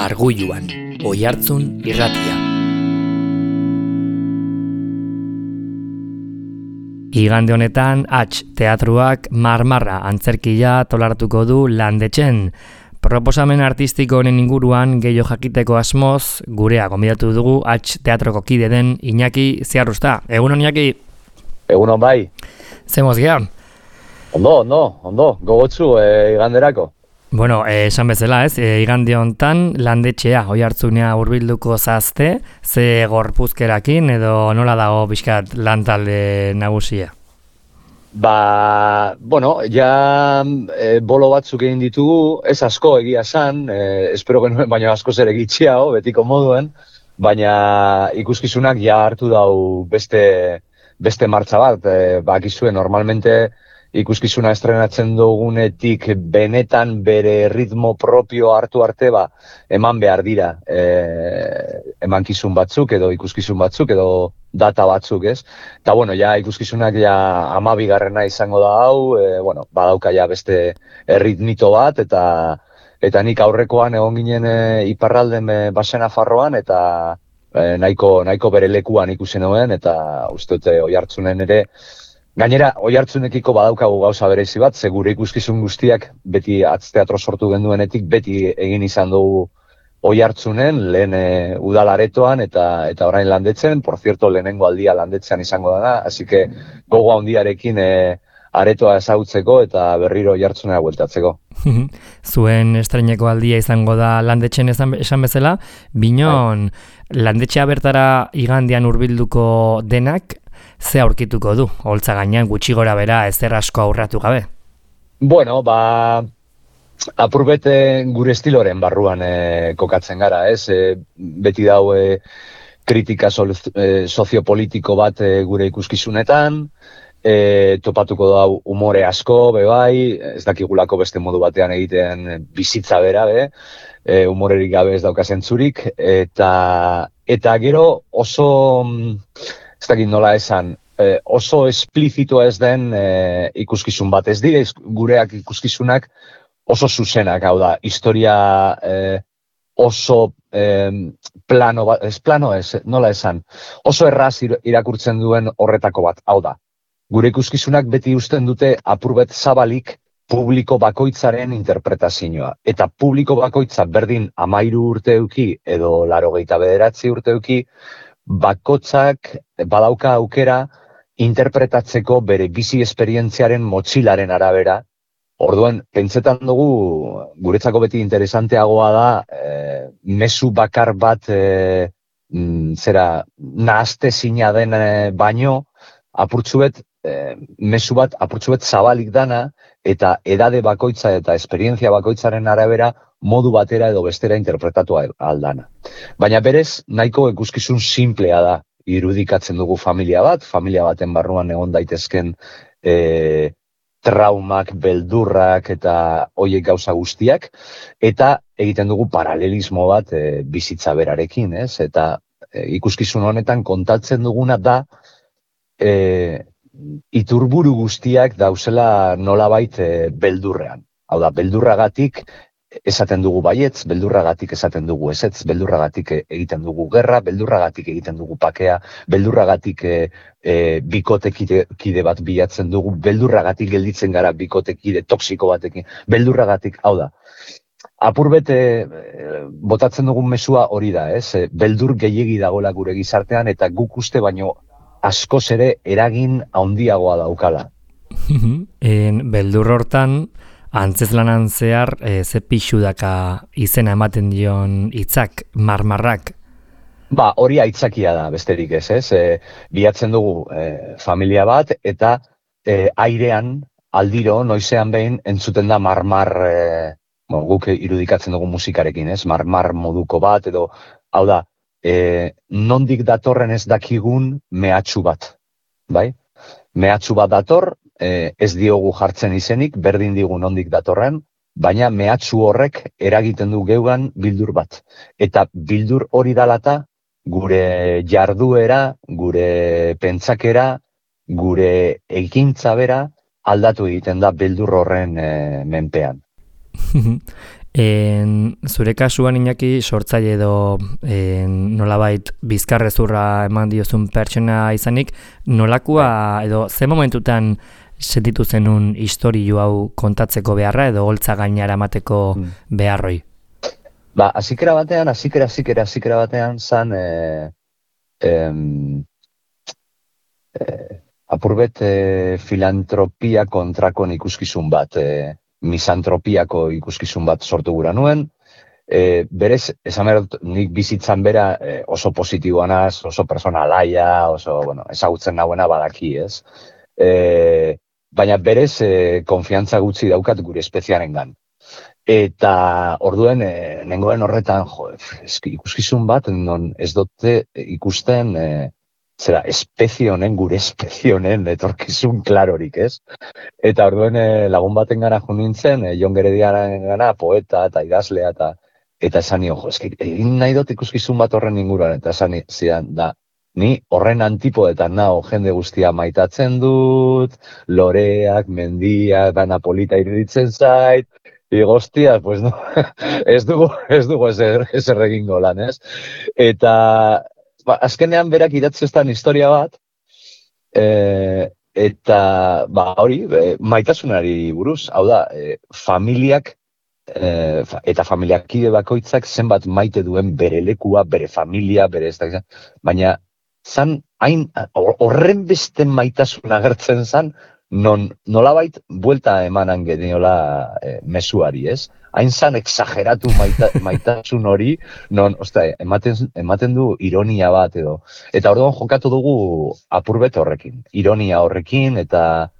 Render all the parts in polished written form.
Arguluan, Oihartzun irratia. Igande honetan, teatruak Marmarra antzerkia tolartuko du Landetxen. Proposamen artistiko honen inguruan gehiago jakiteko asmoz, gurea gonbidatu dugu teatroko kide den Iñaki Ziarrusta. Egunon, Iñaki? Egunon bai. Zemoz gehan? Ondo, gogotsu iganderako. Bueno, esan bezala ez, igande hontan Landetxea, Oihartzunea hurbilduko zazte, ze gorpuzkerakin edo nola dago bizkat lantalde nagusia? Bolo batzuk egin ditugu, ez asko egia esan, espero genuen baina asko zer egitxiao, betiko moduen, baina ikuskizunak ja hartu dau beste martxa bat, bakizue normalmente ikuskizuna estrenatzen dugunetik benetan bere ritmo propio hartu arte, eman behar dira emankizun batzuk edo ikuskizun batzuk edo data batzuk, ez? Eta, ikuskizunak 12. izango da hau, badauka beste erritmito bat, eta nik aurrekoan egon ginen iparralden Baxe Nafarroan, eta nahiko bere lekuan ikusi nuen, eta uste dute Oihartzunen ere. Gainera, Oihartzunekiko badaukagu gauza berezi bat, ze gure ikuskizun guztiak beti teatro sortu genduenetik, beti egin izan dugu Oihartzunen, lehen udalaretoan eta orain Landetzen, por cierto, lehenengo aldia Landetzean izango da, así que gogo handiarekin aretoa ezagutzeko eta berriro Oihartzunera bueltatzeko. Zuen estreineko aldia izango da Landetzen esan bezala, binon Landetxea bertara igandean hurbilduko denak, ze aurkituko du, holtza gainean gutxi gora bera ezer asko aurratu gabe? Apurbete gure estiloren barruan kokatzen gara, ez? Beti dau kritika soziopolitiko bat gure ikuskizunetan, topatuko dau umore asko, bebai, ez dakigulako beste modu batean egiten bizitza bera, umorerik gabe ez dauka zentzurik, eta gero oso, ez dakit nola esan, oso esplizitoa ez den ikuskizun bat. Ez dire gureak ikuskizunak oso zuzenak, hau da, historia oso plano bat, nola esan, oso erraz irakurtzen duen horretako bat, hau da. Gure ikuskizunak beti uzten dute apurbet zabalik publiko bakoitzaren interpretazioa. Eta publiko bakoitza berdin 13 urte euki edo 89 urte euki, bakotzak badauka aukera interpretatzeko bere bizi esperientziaren motxilaren arabera. Orduan, pentsetan dugu, guretzako beti interesanteagoa da, mezu bakar bat nahastezina den baino, mezu bat apurtzuet zabalik dana, eta edade bakoitza eta esperientzia bakoitzaren arabera modu batera edo bestera interpretatu aldana. Baina berez, nahiko ikuskizun simplea da, irudikatzen dugu familia baten barruan egon daitezken traumak, beldurrak eta hoiek gauza guztiak, eta egiten dugu paralelismo bat bizitza berarekin, ez? Eta ikuskizun honetan kontatzen duguna da, iturburu guztiak dauzela nolabait beldurrean. Hau da, beldurragatik esaten dugu baietz, beldurragatik esaten dugu ezetz, beldurragatik egiten dugu gerra, beldurragatik egiten dugu pakea, beldurragatik bikotekide bat bilatzen dugu, beldurragatik gelditzen gara bikotekide toksiko batekin, beldurragatik, hau da. Apurbete botatzen dugun mezua hori da, ez? Beldur gehiegi dagoela gure gizartean eta guk uste baino askoz ere eragin handiagoa daukala. Beldur hortan, antzeslanan zehar, ze pixu daka izena ematen dion hitzak, Marmarrak? Hori aitzakia da, besterik ez? Bilatzen dugu familia bat, eta airean, aldiro, noizean behin, entzuten da marmar, guk irudikatzen dugu musikarekin, ez? Marmar moduko bat, edo, hau da, nondik datorren ez dakigun mehatxu bat, bai? Mehatxu bat dator, ez diogu jartzen izenik, berdin digu nondik datorren, baina mehatxu horrek eragiten du geugan bildur bat. Eta bildur hori dalata, gure jarduera, gure pentsakera, gure ekintza bera aldatu egiten da bildur horren menpean. Zure kasuan Iñaki sortzaile edo nolabait bizkarrezurra eman diozun pertsona izanik, nolakoa edo ze momentutan sentitu zenun historio hau kontatzeko beharra edo holtza gainara emateko beharroi? Azikera batean zan apurbet filantropia kontrakon ikuskizun bat, misantropiako ikuskizun bat sortu gura nuen. Berez, esan berot, nik bizitzan bera oso positiboa naz, oso persona alaia, oso, ezagutzen nahuena badaki, ez? Baina berez, konfiantza gutxi daukat gure espeziarengan. Eta orduen, nengoen horretan, ikuskizun bat, non ez dute ikusten, gure espezie honen etorkizun klarorik, ez? Eta orduen lagun baten gana jo nintzen, Jon Gerediaren gana, poeta eta idazlea, eta esan nio, egin nahi dut ikuskizun bat horren inguruan, eta esan zidan, ni horren antipodetan nao jende guztia maitatzen dut, loreak, mendiak, dana polita iruditzen zait, hostia, pues no, ez dugu ezer egingo lan, ez? Eta azkenean berak idatzestan historia bat, eta hori, maitasunari buruz, hau da, familiak eta familiakide bakoitzak zenbat maite duen bere lekua, bere familia, bere ez da, baina zan horren beste maitasun agertzen zan, non nolabait buelta emanan geniola mezuari, ez? Hain zan exageratu maitasun hori, non, ematen du ironia bat edo. Eta orduan jokatu dugu apurbet horrekin, ironia horrekin, eta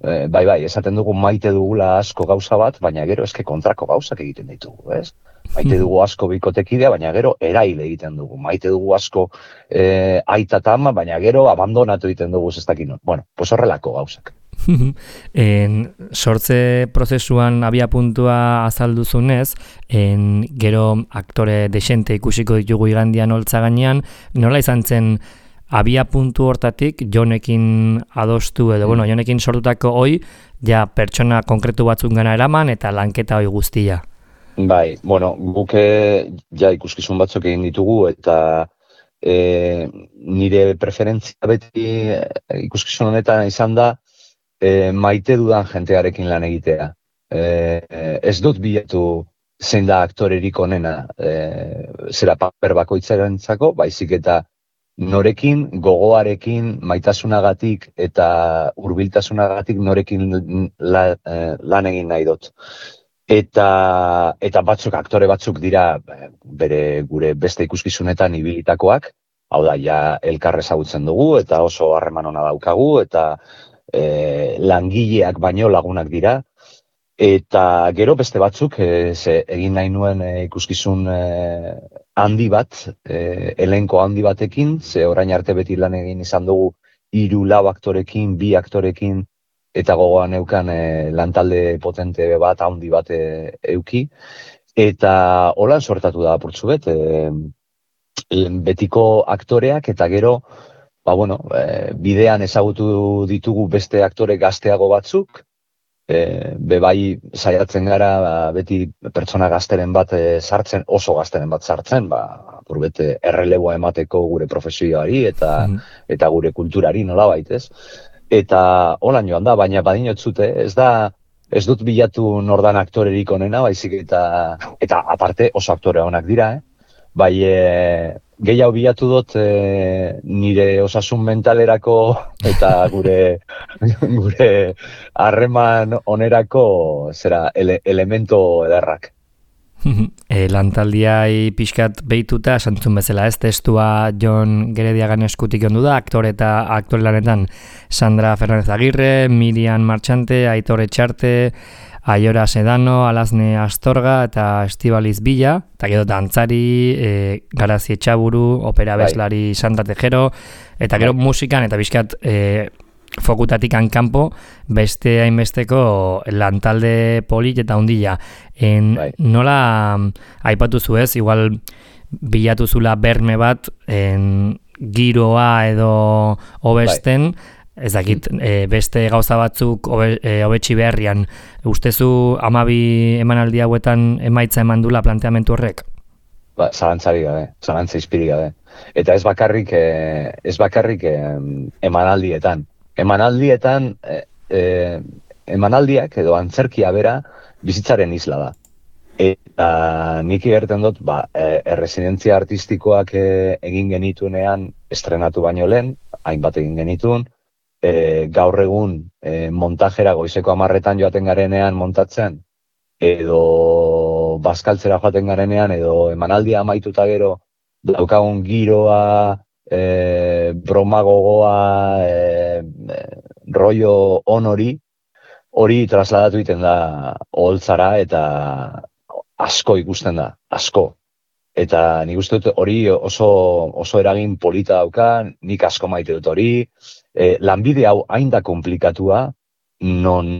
bai, esaten dugu maite dugula asko gauza bat, baina gero eske kontrako gauzak egiten ditugu, ez? Maite dugu asko bikotekidea, baina gero erail egiten dugu. Maite dugu asko aita eta ama, baina gero abandonatu egiten dugu zestakin. Bueno, pues horrelako gauzak. Sortze prozesuan abia puntua azalduzunez, gero aktore desente ikusiko ditugu igandian holtza gainean, nola izan zen abia puntu hortatik Jonekin adostu edo, Jonekin sortutako hoi, ja pertsona konkretu batzuk gana eraman eta lanketa hoi guztia. Bai, guk ja ikuskizun batzuk egin ditugu eta nire preferentzia beti ikuskizun honetan izan da maite dudan jentearekin lan egitea. Ez dut bilatu zein da aktorerik onena zera paper bakoitzarentzako, baizik eta norekin, gogoarekin, maitasunagatik eta hurbiltasunagatik norekin lan egin nahi dut. Eta aktore batzuk dira gure beste ikuskizunetan ibilitakoak, hau da, ja elkar ezagutzen dugu eta oso harreman ona daukagu eta langileak baino lagunak dira. Eta gero beste batzuk egin nahi nuen ikuskizun handi bat, elenko handi batekin, ze orain arte beti lan egin izan dugu 3-4 aktorekin, 2 aktorekin, eta gogoan eukan lantalde potente bat, handi bat euki. Eta holan sortatu da apurtzu bet, betiko aktoreak eta gero, bidean ezagutu ditugu beste aktore gazteago batzuk, bai saiatzen gara beti pertsona gazteren bat sartzen, oso gazteren bat sartzen, apurbet erreleboa emateko gure profesioari eta gure kulturari nolabait, ez? Eta holan joan da, baina badinotzute, ez dut bilatu nordan aktorerik onena, baizik eta aparte oso aktore onak dira, bai gehiago bilatu dut nire osasun mentalerako eta gure harreman onerako elemento ederrak. Lantaldiai pixkat behituta, santzun bezala ez, testua Jon Gerediagan eskutik ondu da, aktore eta aktore lanetan Sandra Fernández Agirre, Miriam Marchante, Aitor Etxarte, Aiora Sedano, Alazne Astorga eta Estibaliz Villa, eta gero dantzari, Garazi Etxaburu, opera bezlari Sandra Tejero, eta gero musikan eta pixkat fokutatik kanpo beste hainbesteko lantalde polit eta hundila. Nola aipatu zuez, igual bilatu zula berme bat giroa edo obesten, ezakit, beste gauza batzuk hobetsi beharrian, ustezu 12 emanaldi hauetan emaitza eman dula planteamendu horrek? Ba, zalantza izpirik gabe. Eta ez bakarrik emanaldietan. Emanaldiak edo antzerkia bera bizitzaren isla da. Eta nik igerten dut, erresidentzia artistikoak egin genituenean, estrenatu baino lehen, hainbat egin genituen, gaur egun montajera goizeko 10 joaten garenean montatzen, edo bazkaltzera joaten garenean, edo emanaldia amaituta gero, daukagun giroa, broma gogoa, rollo hori trasladatu egiten da oholtzara eta asko ikusten da, asko. Eta nik uste dut hori oso eragin polita dauka, nik asko maite dut hori. Lanbide hau hain da komplikatua, non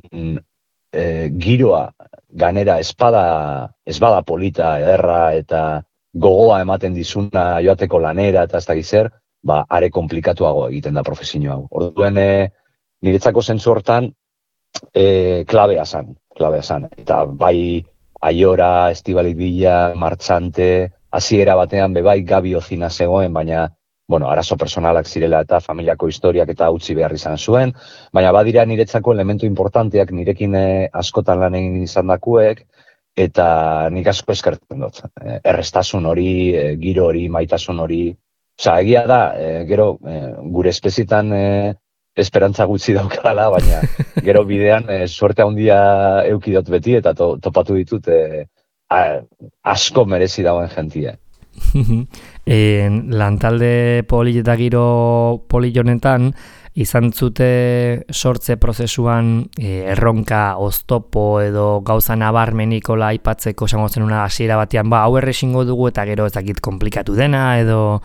giroa ganera ez bada polita, ederra eta gogoa ematen dizuna joateko lanera eta ez dakiz zer, are komplikatuago egiten da profesio hau. Orduen niretzako zentzu hortan klabea zan. Eta bai Aiora, Estibaliz Villa, Martxante, hasiera batean bai Gabi Ozina zegoen, baina arazo personalak zirela eta familiako historiak eta utzi behar izan zuen, baina badira niretzako elementu importanteak nirekin askotan lan egin izan dakuek, eta nik asko eskertzen dut. Errestasun hori, giro hori, maitasun hori. Egia da, gero gure espezietan esperantza gutxi daukala, baina gero bidean suerte handia eukidot beti eta topatu ditut asko merezi dagoen jentia. Lantalde poli eta giro poli honetan izan zute sortze prozesuan erronka, oztopo edo gauza nabarmenikola aipatzeko esango zenuna hasiera batean, hau erresingo dugu eta gero ezakit komplikatu dena edo...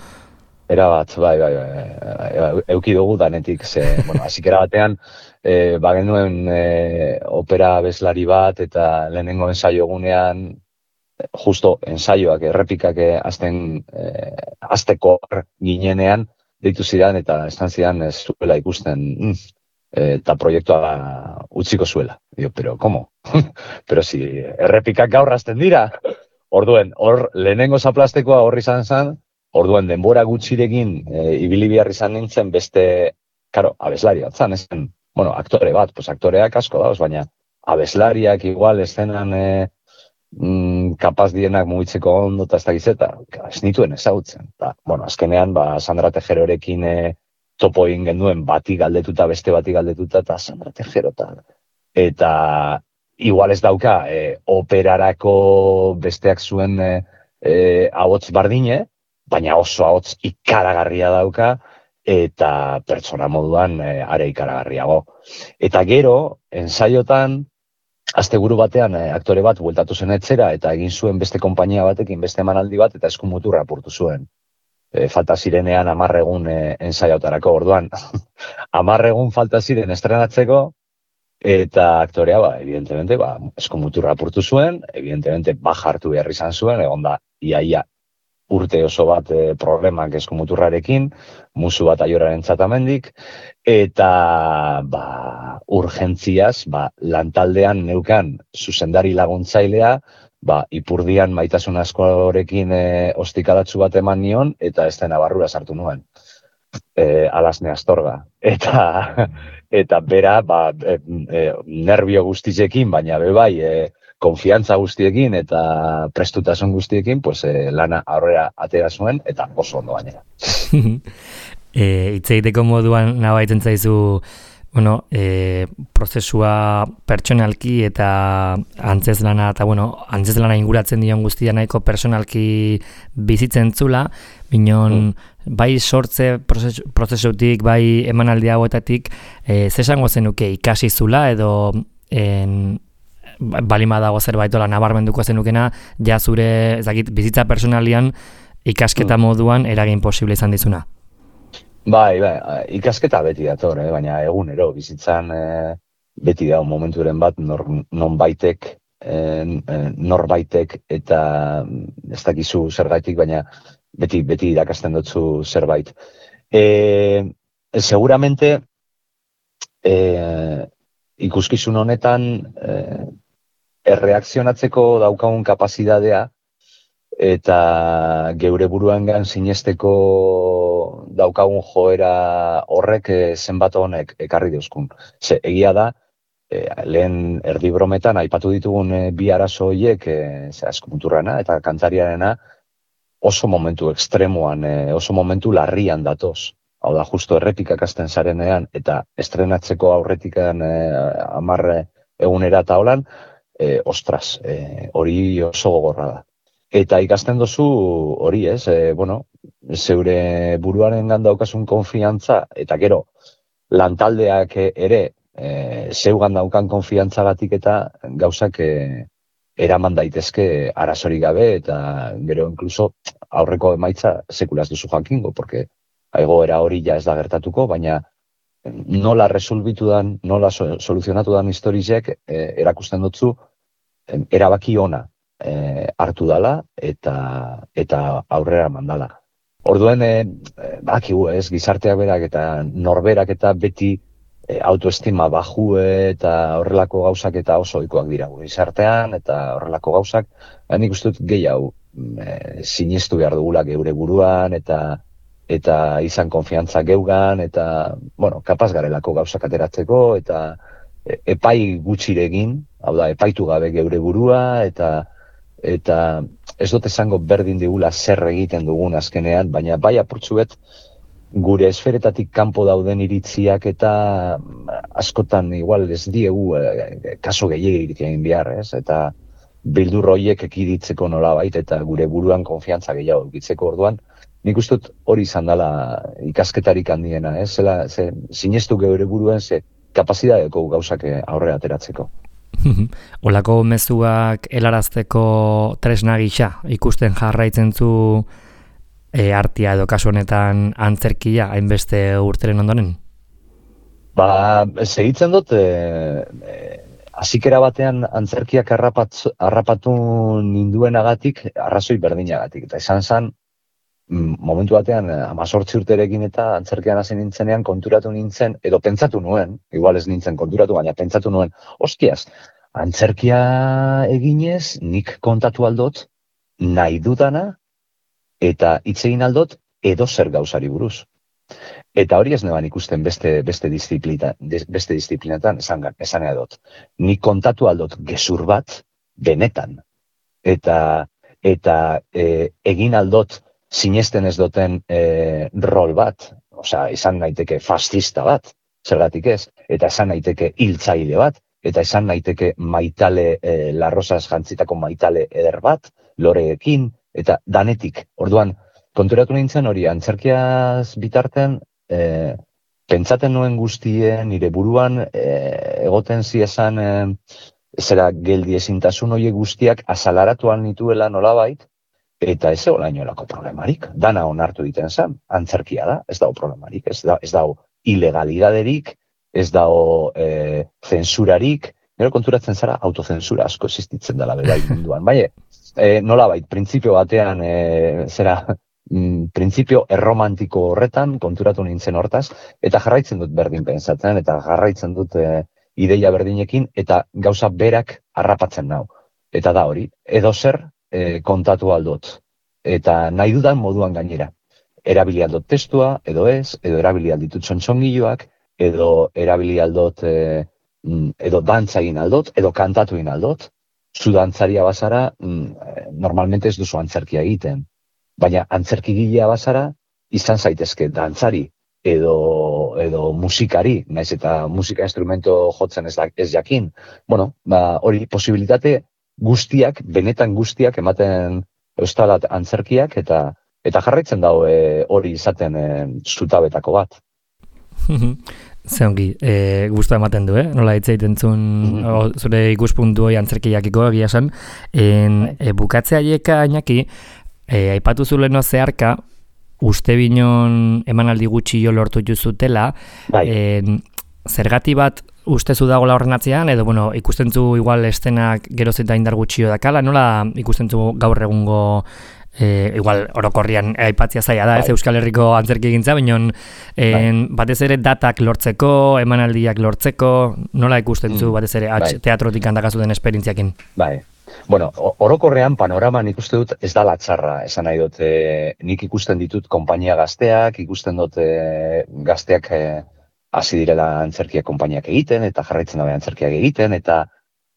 Erabat, bai, euki dugu danetik, hasikera batean, bagenuen opera abeslari bat eta lehenengo ensaio egunean, justo ensaioak, errepikak azteko ginenean, deitu zidan eta estan zidan ez zuela ikusten eta proiektua utziko zuela. Dio, pero, ¿cómo? Pero si errepikak gaur hasten dira. Orduen, lehenengo zaplastekoa horri izan zen, orduen denbora gutxirekin ibili behar izan nintzen beste, abeslari bat zan, ezen, aktore bat, aktoreak asko dauz, baina abeslariak igual eszenan kapaz dienak mugitzeko ondo eta ez da gizeta, ez nituen ezagutzen. Azkenean, Sandra Tejerorekin topo egin genuen bati galdetuta, beste bati galdetuta, eta Sandra Tejero eta igual ez dauka operarako besteak zuen ahots bardine, baina oso ahots ikaragarria dauka, eta pertsona moduan are ikaragarriago. Eta gero, ensaiotan, asteburu batean aktore bat bueltatu zen etxera, eta egin zuen beste konpainia batekin, beste emanaldi bat, eta eskumuturra apurtu zuen. Falta zirenean 10 egun ensaiotarako, orduan. 10 egun falta ziren estrenatzeko, eta aktorea, evidentemente, eskumuturra apurtu zuen, evidentemente, hartu behar izan zuen, egon da, iaia urte oso bat problemak eskumuturrarekin, musu bat Aioraren txatamendik, eta urgentziaz, lantaldean neukan zuzendari laguntzailea, Ipurdian maitasun askorekin ostikalatzu bat eman nion, eta ez dena barrura sartu nuen. Alasne Astorga. Eta bera, nervio guztiekin, baina bebai, konfiantza guztiekin eta prestutasun guztiekin, lana aurrera atera zuen, eta oso ondo gainera. Itzeiteko moduan nabaitzen zaizu, prozesua pertsonalki eta antzezlana, eta antzezlana inguratzen dion guztia nahiko personalki bizitzen zula, binon, bai sortze prozesutik, bai emanaldi hauetatik, zesango zenuke ikasi zula edo balima dago zerbait nabarmenduko zenukena, ja zure bizitza personalian ikasketa moduan eragin posible izan dizuna. Bai, ikasketa beti dator, baina egunero bizitzan beti da momenturen bat norbaitek eta ez dakizu zergaitik, baina beti irakasten dutzu zerbait. Seguramente ikuskizun honetan erreakzionatzeko daukagun kapazitatea eta geure buruangan sinesteko daukagun joera horrek zenbat honek ekarri deuzkun. Ze egia da, lehen erdibrometan aipatu ditugun bi arazo horiek, eskulturana eta kantariarena, oso momentu ekstremoan, oso momentu larrian datoz. Hau da, justo errepikak hasten zarenean, eta estrenatzeko aurretikan 10 egunera eta holan, ostras, hori oso gogorra da. Eta ikasten dozu hori ez, zeure buruaren gandaukasun konfiantza, eta gero, lantaldeak ere, zeugan daukan konfiantzagatik eta gauzak eraman daitezke arazorik gabe, eta gero inkluso aurreko emaitza sekulaz duzu jakingo, porque egoera hori ja ez da gertatuko, baina nola resolbitudan, nola soluzionatudan historizek erakusten dutzu erabaki ona hartu dala eta aurrera mandala. Orduen, bakigu ez, gizarteak berak eta norberak eta beti autoestima baju eta horrelako gauzak eta oso ohikoak dira gure gizartean, eta horrelako gauzak, nik uste dut gehiago sinestu behar dugula geure buruan, eta izan konfiantza geugan, eta, kapaz garelako gauzak ateratzeko, eta epai gutxiregin, hau da, epaitu gabe geure burua, eta ez dut esango berdin digula zer egiten dugun azkenean, baina bai apurtzuet gure esferetatik kanpo dauden iritziak eta askotan igual ez diegu kaso gehiagirik egin behar, ez? Eta bildur horiek ekiditzeko nolabait eta gure buruan konfiantza gehiago edukitzeko orduan, nik uste dut hori izan dela ikasketarik handiena, ez? Sinestu geure buruan ze kapazitateako gauzak aurrera ateratzeko. Olako mezuak helarazteko tresna gisa ikusten jarraitzen zu artia edo kasu honetan antzerkia hainbeste urteren ondoren? Segitzen dut hasikera batean antzerkiak harrapatu ninduenagatik arrazoi berdinagatik. Eta izan zen, momentu batean 18 urterekin eta antzerkian hasi nintzenean konturatu nintzen, edo pentsatu nuen, igual ez nintzen konturatu, baina pentsatu nuen, ostiaz, antzerkia eginez nik kontatu aldot nahi dudana eta hitz egin aldot edo zer gauzari buruz. Eta hori ez neban ikusten beste disiplinatan esan edot. Nik kontatu aldot gezur bat benetan. Eta egin aldot sinesten ez duten rol bat, izan naiteke fascista bat, zergatik ez, eta esan naiteke hiltzaile bat, eta esan naiteke maitale, larrosaz jantzitako maitale eder bat, loreekin, eta danetik. Orduan, konturatu nintzen hori, antzerkiaz bitartean, pentsaten nuen guztien, nire buruan, egoten ziezan, zera geldi ezintasun horiek guztiak azalaratuan nituela nolabait, eta ez zegoela inolako problemarik. Dana onartu egiten zen, antzerkia da, ez dago problemarik, ez dago ilegalidaderik, ez dago zensurarik, gero konturatzen zara autozensura asko existitzen dela berai munduan. Baina, nolabait, printzipio batean, printzipio erromantiko horretan konturatu nintzen hortaz, eta jarraitzen dut berdin pentsatzen, eta jarraitzen dut ideia berdinekin, eta gauza berak harrapatzen nau. Eta da hori, edo zer kontatu aldot. Eta nahi dudan moduan gainera. Erabili aldot testua, edo ez, edo erabili alditut txontxongiloak, edo erabili aldot, edo dantza egin aldot, edo kantatu egin aldot. Zu dantzaria bazara, normalmente ez duzu antzerkia egiten. Baina antzerkigilea bazara, izan zaitezke dantzari, edo musikari, naiz eta musika instrumento jotzen ez jakin. Hori posibilitate guztiak, benetan guztiak ematen eustalat antzerkiak, eta jarraitzen dago hori izaten zutabetako bat. Zeongi, guztua ematen du, nola hitz egiten zuen zure ikuspuntu hori antzerkiakiko egia esan. Bukatzea aieka, Iñaki, aipatu zuleno zeharka, uste binon emanaldi gutxi jo lortu juzutela, zergati bat ustezu dagoela horren atzean, edo ikusten zu igual estenak geroz eta indar gutxio dakala, nola ikusten zu gaur egungo igual orokorrian aipatzea zaila da, ez Bai. Euskal Herriko antzerkigintza, baina batez ere datak lortzeko, emanaldiak lortzeko, nola ikusten zu batez ere teatrotik handakazuten esperientziakin? Bai. Bueno, orokorrean panorama nik uste dut ez da latxarra, esan nahi dut, nik ikusten ditut konpainia gazteak, ikusten dut gazteak hasi direla antzerkiak konpainiak egiten, eta jarraitzen dabe antzerkiak egiten, eta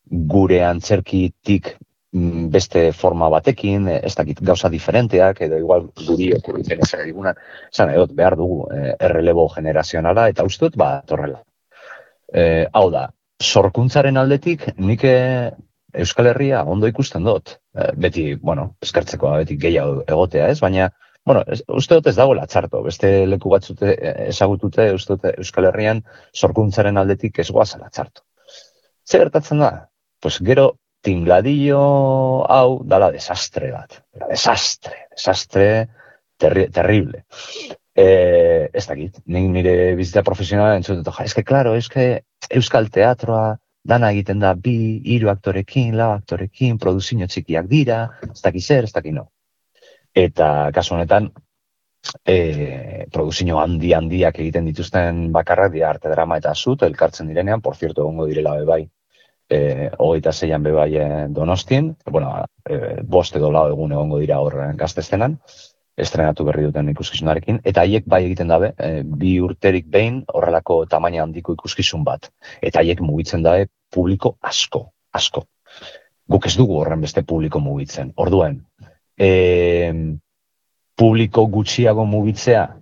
gure antzerkitik beste forma batekin, ez dakit gauza diferenteak, edo igual guri okurritzen ez eguna, esan nahi dut, behar dugu errelebo generazionala, eta uste dut, torrela. Hau da, sorkuntzaren aldetik, nik Euskal Herria ondo ikusten dut. Beti, eskertzekoa, beti gehiago egotea, ez? Baina, uste dut ez dagoela txarto. Beste leku batzute ezagutute, uste dut Euskal Herrian sorkuntzaren aldetik ez goazala txarto. Zer gertatzen da? Pues gero tingladillo hau dala desastre bat. Desastre terrible. Ez dakit, nire bizita profesionala entzutetu, claro, Euskal Teatroa dana egiten da 2-3 aktorekin, 4 aktorekin, produzio txikiak dira, ez dakit zer, ez dakit no. Eta kasu honetan, produzio handiak egiten dituzten bakarrak dira arte drama eta zut, elkartzen direnean, por cierto, egongo direla bebai, 26an bebai Donostien, 5 edo 4 egun egongo dira hor gaztestenan, estrenatu berri duten ikuskizunarekin, eta haiek bai egiten dabe, 2 urterik behin horrelako tamaina handiko ikuskizun bat. Eta haiek mugitzen dabe publiko asko. Guk ez dugu horren beste publiko mugitzen. Orduan, publiko gutxiago mugitzea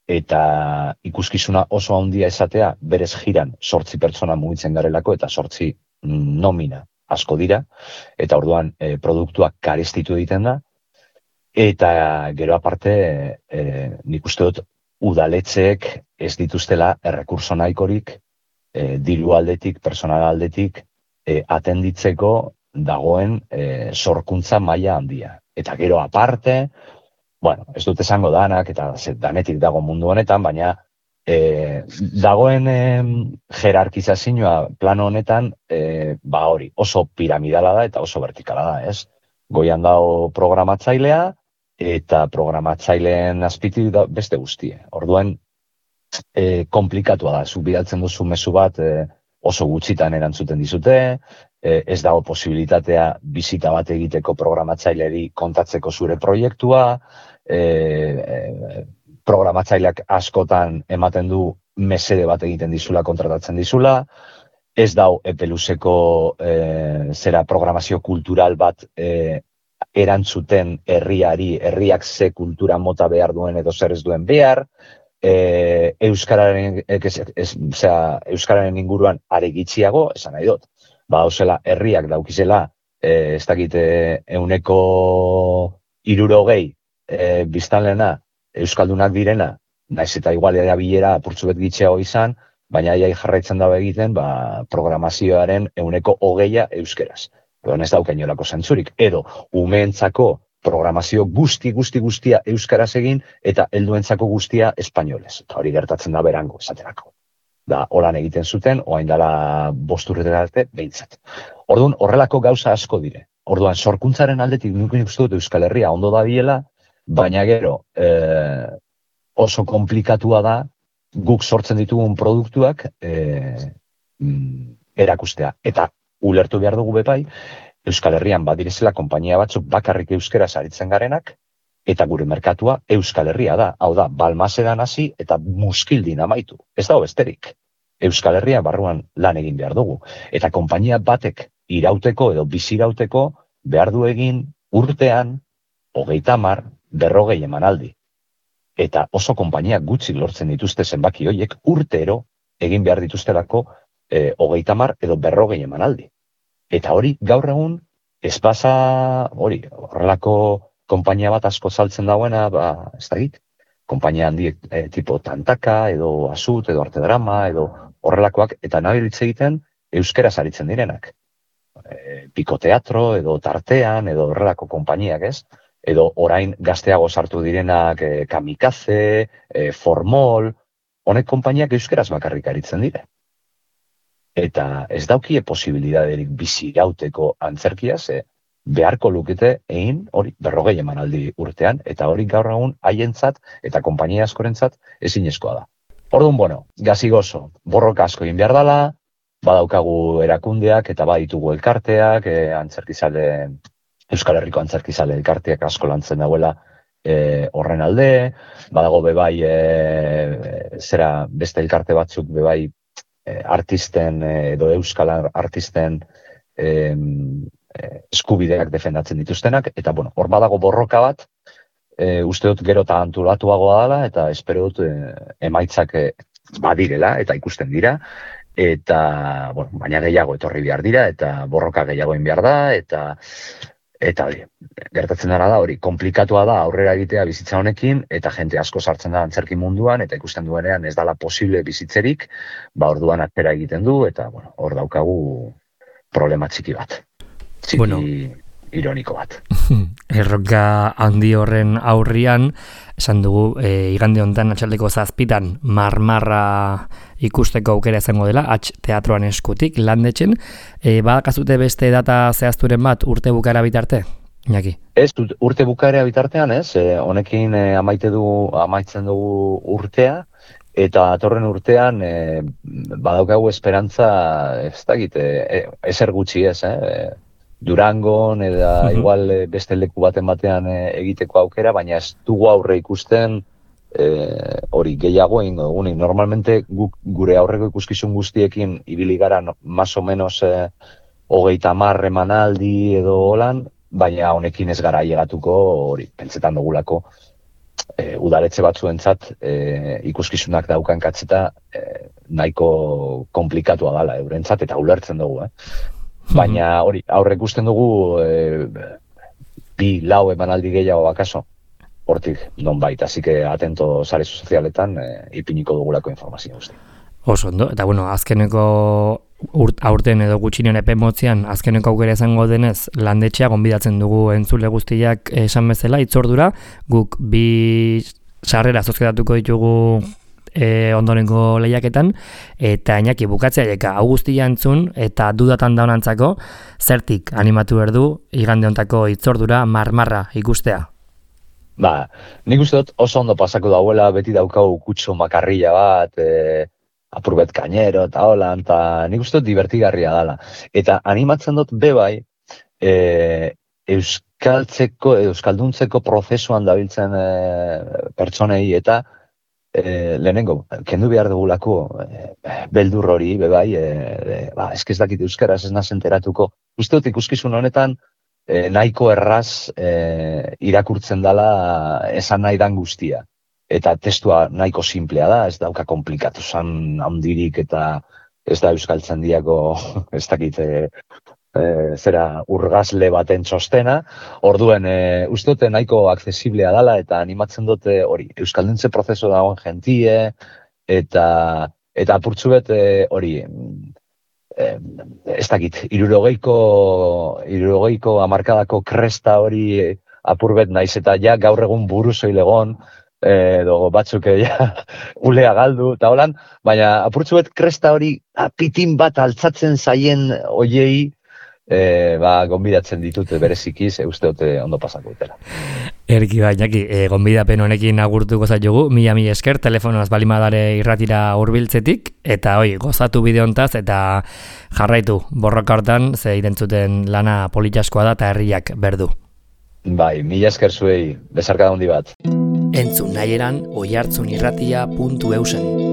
eta ikuskizuna oso handia esatea, berez jiran 8 pertsona mugitzen garelako eta 8 nomina asko dira, eta orduan produktuak garestitu egiten da, eta gero aparte, nik uste dut udaletxeek ez dituztela errekurso nahikorik, diru aldetik, personal aldetik, atenditzeko dagoen sorkuntza maila handia. Eta gero aparte, ez dut esango danak, eta danetik dago mundu honetan, baina dagoen jerarkizazioa plano honetan, hori, oso piramidala da eta oso vertikala da, ez? Goian dago programatzailea, eta programatzaileen azpitik da beste guztie. Orduan, komplikatua da, zu bidaltzen duzu mezu bat oso gutxitan erantzuten dizute, ez dago posibilitatea bizita bat egiteko programatzaileri kontatzeko zure proiektua, programatzaileak askotan ematen du mesede bat egiten dizula, kontratatzen dizula, ez dago epeluzeko programazio kultural bat erantzuten herriak ze kultura mota behar duen edo zer ez duen behar, Euskararen inguruan are gitxiago, esan nahi dut. Osela, herriak daukizela, ez dakit 160 biztanlena Euskaldunak direna, naiz eta igual erabilera apurtzu bet gitxiago izan, baina jai jarraitzen dago egiten programazioaren 120 euskeraz. Ez daukainolako zentzurik. Edo, umeentzako programazio guztia euskaraz egin eta helduentzako guztia espainolez. Eta hori gertatzen da berango, esaterako. Da, holan egiten zuten, oain dela 5 urtera arte, behintzat. Orduan, horrelako gauza asko dire. Orduan, sorkuntzaren aldetik nik uste dut Euskal Herria ondo da biela, baina gero oso komplikatua da guk sortzen ditugun produktuak erakustea. Eta ulertu behar dugu bepai, Euskal Herrian badirezela konpainia batzuk bakarrik euskaraz aritzen garenak, eta gure merkatua Euskal Herria da. Hau da, Balmasedan hasi eta Muskildin amaitu. Ez dago besterik. Euskal Herria barruan lan egin behar dugu. Eta konpainia batek irauteko edo bizirauteko behar du egin urtean 30, 40 emanaldi. Eta oso konpainia gutxi lortzen dituzte zenbaki horiek urtero egin behar dituztelako 30 edo 40 emanaldi. Eta hori gaur egun ez pasa hori horrelako konpainia bat asko saltzen dagoena, ez dakit, konpainia handiek tipo Tantaka edo Azut edo Arte Drama edo horrelakoak, eta nahi hitz egiten euskaraz aritzen direnak. Piko Teatro edo Tartean edo horrelako konpainiak, ez? Edo orain gazteago sartu direnak Kamikaze, Formol, honek konpainiak euskaraz bakarrik aritzen dire. Eta ez daukie posibilidaderik bizi irauteko antzerkia, beharko lukete egin hori 40 emanaldi urtean, eta hori gaur egun haientzat eta konpainia askorentzat ezinezkoa da. Orduan, bueno, gazigozo, borroka asko egin behar dela, badaukagu erakundeak eta baditugu elkarteak, Euskal Herriko antzerkizale elkarteak asko lantzen dauela horren alde, badago bebai beste elkarte batzuk bebai artisten edo euskal artisten eskubideak defendatzen dituztenak, eta bueno, hor badago borroka bat, uste dut gero eta antolatuagoa dela, eta espero dut emaitzak badirela, eta ikusten dira, eta, bueno, baina gehiago etorri behar dira, eta borroka gehiago egin behar da, eta hori, gertatzen dara da, hori, komplikatua da aurrera egitea bizitza honekin, eta jente asko sartzen da antzerki munduan, eta ikusten duenean ez dala posible bizitzerik, orduan atzera egiten du, eta, bueno, hor daukagu problema txiki bat. Ironiko bat. Erronka handi horren aurrian, esan dugu, igande honetan atxaldeko 7 Marmarra ikusteko aukera izango dela, Teatroan eskutik, Landetxen. Badakazute beste data zehazturen bat urte bukara bitarte? Iñaki? Ez, urte bukara bitartean ez, honekin amaitzen dugu urtea, eta atorren urtean badaukagu esperantza, ez dakit, ezer gutxi ez, Durangon, eta igual beste leku batean egiteko aukera, baina ez dugu aurre ikusten hori gehiago egingo dugunik. Normalmente gure aurreko ikuskizun guztiekin ibili gara más o menos 30 emanaldi edo holan, baina honekin ez gara llegatuko hori pentsetan dugulako udaletxe batzuentzat ikuskizunak daukan katzeta nahiko komplikatua dela eurentzat eta ulertzen dugu, Baina hori, aurre ikusten dugu 2-4 emanaldi gehiago bakaso. Hortik, nonbait, así que atento sare sozialetan ipiniko dugulako informazio guzti. Oso ondo, eta bueno, azkeneko aurten edo gutxinen epe motzean, azkeneko aukera izango denez, Landetxea gonbidatzen dugu entzule guztiak esan bezala, itzordura, guk 2 sarrera zozketatuko ditugu ondorengo lehiaketan, eta Iñaki bukatzea hau guztia entzun, eta dudatan daunantzako, zertik animatu berdu, igande hontako itzordura Marmarra ikustea? Nik uste dut oso ondo pasako dauela, beti daukau kutxo makarrilla bat, apurbet kainero, eta holan, eta nik uste dut divertigarria dela. Eta animatzen dut bebai, euskalduntzeko prozesuan dabiltzen pertsonei, eta lehenengo, kendu behar dugulako beldur hori, bebai, ez dakit euskaraz ez nazen enteratuko. Uste dut ikuskizun honetan nahiko erraz irakurtzen dela esan nahi dan guztia. Eta testua nahiko simplea da, ez dauka komplikatu zan handirik eta ez da euskaltzen diako, ez dakit, zera urgazle baten txostena, orduen uste dute nahiko aksesiblea dela eta animatzen dute hori, euskalduntze prozeso dagoen jentie, eta apurtzu bet hori, ez dakit, 60ko hamarkadako kresta hori apurbet naiz eta ja gaur egun buruzoilegon, edo batzuk ulea galdu, eta holan, baina apurtzu bet kresta hori pitin bat altzatzen zaien oiei, gonbidatzen ditut bereziki, uste dute ondo pasako dutela. Erki Iñaki, gonbidapen honekin agurtuko zaitugu, mila esker, telefonoaz balimadare irratira hurbiltzetik, eta gozatu bideontaz, eta jarraitu borroka hortan, ze irentzuten lana politaskoa da, eta herriak berdu. Bai, mila esker zuei, besarkada handi bat. Entzun nahieran oihartzunirratia.eusen.